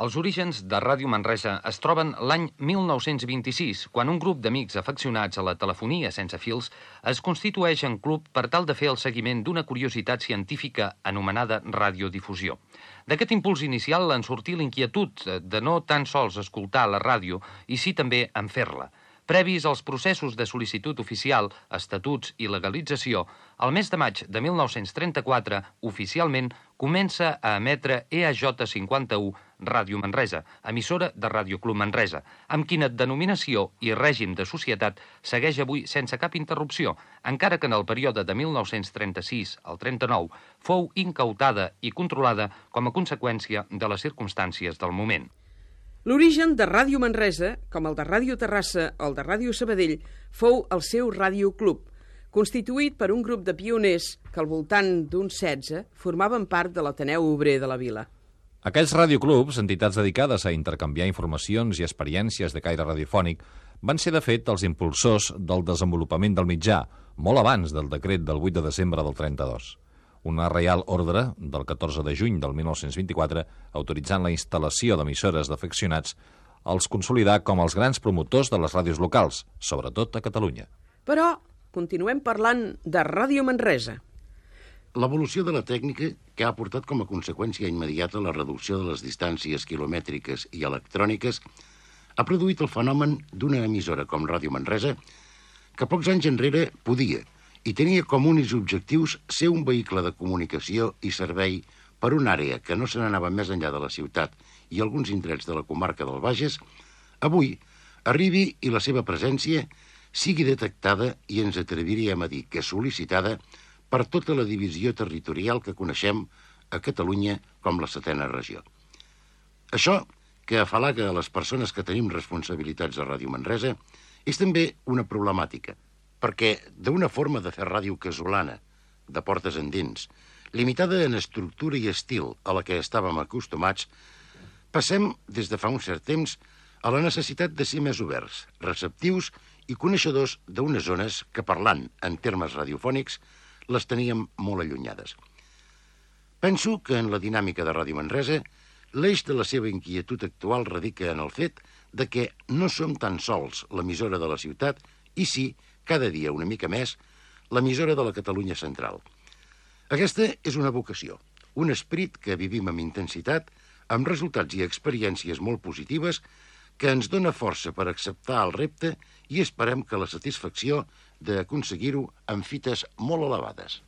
Els orígens de Ràdio Manresa es troben l'any 1926, quan un grup d'amics afeccionats a la telefonia sense fils es constitueix en club per tal de fer el seguiment d'una curiositat científica anomenada radiodifusió. D'aquest impuls inicial en sortí l'inquietud de no tan sols escoltar la ràdio, i sí també en fer-la. Previs als processos de sol·licitud oficial, estatuts i legalització, el mes de maig de 1934, oficialment, comença a emetre EAJ51 Ràdio Manresa, emissora de Ràdio Club Manresa, amb quina denominació i règim de societat segueix avui sense cap interrupció, encara que en el període de 1936 al 39 fou incautada i controlada com a conseqüència de les circumstàncies del moment. L'origen de Ràdio Manresa, com el de Ràdio Terrassa o el de Ràdio Sabadell, fou el seu radioclub, constituït per un grup de pioners que al voltant d'uns 16 formaven part de l'Ateneu Obrer de la vila. Aquells radioclubs, entitats dedicades a intercanviar informacions i experiències de caire radiofònic, van ser de fet els impulsors del desenvolupament del mitjà, molt abans del decret del 8 de desembre del 32. Una reial ordre del 14 de juny del 1924, autoritzant la instal·lació d'emissores d'afeccionats, els consolidà com els grans promotors de les ràdios locals, sobretot a Catalunya. Però continuem parlant de Ràdio Manresa. L'evolució de la tècnica, que ha portat com a conseqüència immediata la reducció de les distàncies quilomètriques i electròniques, ha produït el fenomen d'una emissora com Ràdio Manresa, que pocs anys enrere podia i tenia com únics objectius ser un vehicle de comunicació i servei per una àrea que no se n'anava més enllà de la ciutat i alguns indrets de la comarca del Bages, avui arribi i la seva presència sigui detectada i ens atreviríem a dir que sol·licitada per tota la divisió territorial que coneixem a Catalunya com la 7a regió. Això, que afalaga a les persones que tenim responsabilitats a Ràdio Manresa, és també una problemàtica, perquè d'una forma de fer ràdio casolana, de portes endins, limitada en estructura i estil a la que estàvem acostumats, passem, des de fa un cert temps, a la necessitat de ser més oberts, receptius i coneixedors d'unes zones que, parlant en termes radiofònics, les teníem molt allunyades. Penso que en la dinàmica de Ràdio Manresa, l'eix de la seva inquietud actual radica en el fet de que no som tan sols l'emissora de la ciutat i sí, cada dia una mica més, l'emissora de la Catalunya central. Aquesta és una vocació, un esperit que vivim amb intensitat, amb resultats i experiències molt positives, que ens dona força per acceptar el repte i esperem que la satisfacció d'aconseguir-ho amb fites molt elevades.